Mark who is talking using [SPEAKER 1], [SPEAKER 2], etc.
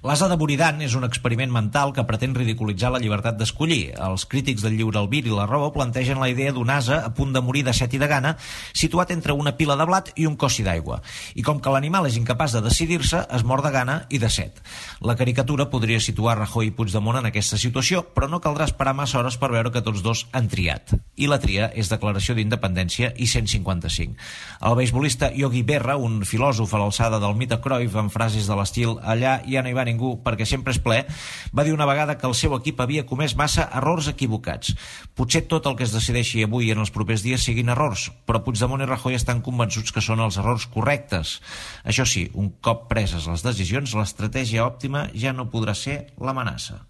[SPEAKER 1] L'ase de Buridan és un experiment mental que pretén ridiculitzar la llibertat d'escollir. Els crítics del lliure albir i la raó plantegen la idea d'un ase a punt de morir de set i de gana, situat entre una pila de blat i un cossi d'aigua. I com que l'animal és incapaç de decidir-se, es mor de gana i de set. La caricatura podria situar Rajoy i Puigdemont en aquesta situació, però no caldrà esperar massa hores per veure que tots dos han triat. I la tria és declaració d'independència i 155. El beisbolista Yogi Berra, un filòsof a l'alçada del mite Cruyff, amb frases de l'estil "allà ja no hi va ningú perquè sempre és ple", va dir una vegada que el seu equip havia comès massa errors equivocats. Potser tot el que es decideixi avui i en els propers dies siguin errors, però Puigdemont i Rajoy estan convençuts que són els errors correctes. Això sí, un cop preses les decisions, l'estratègia òptima ja no podrà ser l'amenaça.